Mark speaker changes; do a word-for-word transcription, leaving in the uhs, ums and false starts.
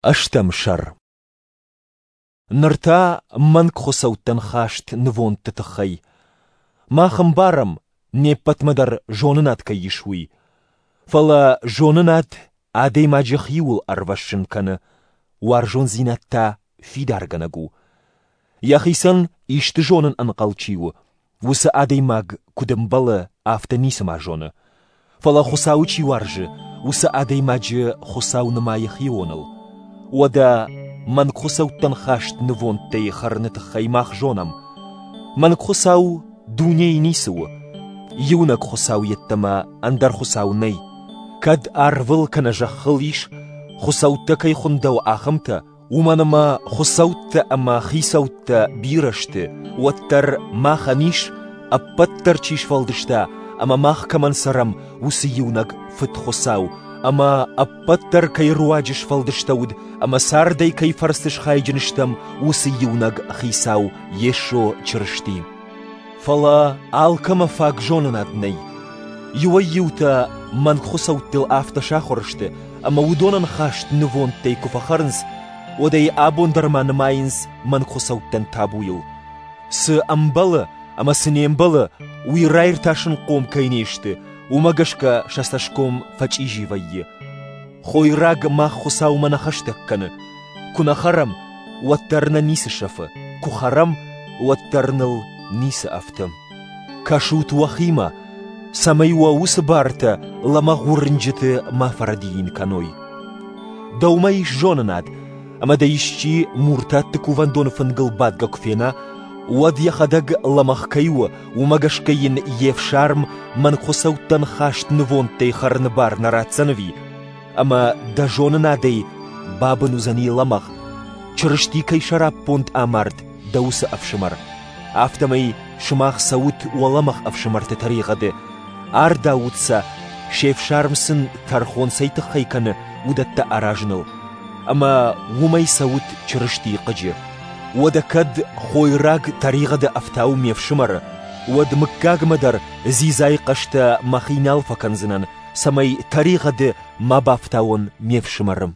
Speaker 1: Ӕстӕм сӕр. Ныр та мӕнг хуыцӕуттӕн хаст нывондты тыххӕй. Мах ӕмбарӕм, не ппӕтмӕ дӕр зонынад кӕй ис, уый. Фӕлӕ зонынад адӕймаджы хиуыл ӕрвӕссын кӕны, уарзондзинад та фидаргӕнӕг у. Йӕхицӕн исты зонын ӕнхъӕл чи у, уыцы адӕймаг, куыд ӕмбӕлы, афтӕ ницыма зоны. Фӕлӕ Хуыцауы чи уарзы, уыцы адӕймаджы Хуыцау нымайы хионыл. Уӕдӕ мӕнгхуыцӕуттӕн хаст нывондтӕй хӕрыны тыххӕй мах зонӕм: мӕнгхуыцау дунейы ницы у, иунӕг Хуыцау йеддӕмӕ ӕндӕр хуыцау нӕй. Кӕд арвыл кӕнӕ зӕххыл ис, хуыцӕуттӕ кӕй хуындӕуы, ахӕмтӕ, уымӕн ӕмӕ хуыцӕуттӕ ӕмӕ хицӕуттӕ бирӕ сты, уӕддӕр махӕн ис, ӕппӕт дӕр чи сфӕлдыста ӕмӕ мах кӕмӕн цӕрӕм, уыцы иунӕг Фыд Хуыцау, ӕмӕ ӕппӕт дӕр кӕй руаджы сфӕлдыстӕуыд ӕмӕ цардӕй кӕй фӕрцы схайджын стӕм, уыцы иунӕг Хицау Йесо Чырысти. Фӕлӕ алкӕмӕ фаг зонынад нӕй. Иуӕй-иутӕ мӕнгхуыцӕуттыл афтӕ сахуыр сты, ӕмӕ уыдонӕн хаст нывондтӕй куы фӕхӕрынц, уӕд ӕй абон дӕр ма нымайынц мӕнгхуыцӕуттӕн табуйыл. Цы ӕмбӕлы ӕмӕ цы не мбӕлы, уый раиртасынхъом кӕй не сты, уымӕ гӕсгӕ сӕ цӕсгом фӕчъизи вӕййы. Хойраг мах Хуыцаумӕ нӕ хӕстӕг кӕны. Куы нӕ хӕрӕм, уӕддӕр нӕ ницы сӕфы, куы хӕрӕм, уӕддӕр ныл ницы ӕфты. Кӕсут уӕхимӕ, цӕмӕй уӕ уыцы бартӕ лӕмӕгъ уырнджыты ма фӕрӕдийын кӕной. Дӕумӕ ис зонынад, ӕмӕ дӕ исчи муртатты кувӕндоны фынгыл бадгӕ куы фена, уӕд йӕхӕдӕг лӕмӕгъ кӕй у, уымӕ гӕсгӕ йын йе фсарм мӕнгхуыцӕуттӕн хаст нывондтӕй хӕрыны бар нӕ ратдзӕн ӕви? Ӕмӕ дӕ зонынадӕй бабын уыдзӕни лӕмӕгъ, Чырысти кӕй сӕраппонд амард, дӕ уыцы ӕфсымӕр. Афтӕмӕй сымах цӕут уӕ лӕмӕгъ ӕфсымӕрты тӕригъӕды, ардаут сӕ, се фсарм сын тӕрхон цӕй тыххӕй кӕны, уыдӕттӕ аразыныл. Ӕмӕ уымӕй цӕут Чырыстийы хъыджы. Уӕдӕ кӕд хойраг тӕригъӕды ӕфтауы ме фсымӕры, уӕд мыггагмӕ дӕр дзидзайы хъӕстӕ мӕхи нал фӕкӕндзынӕн, цӕмӕй тӕригъӕды ма бафтауон ме фсымӕры.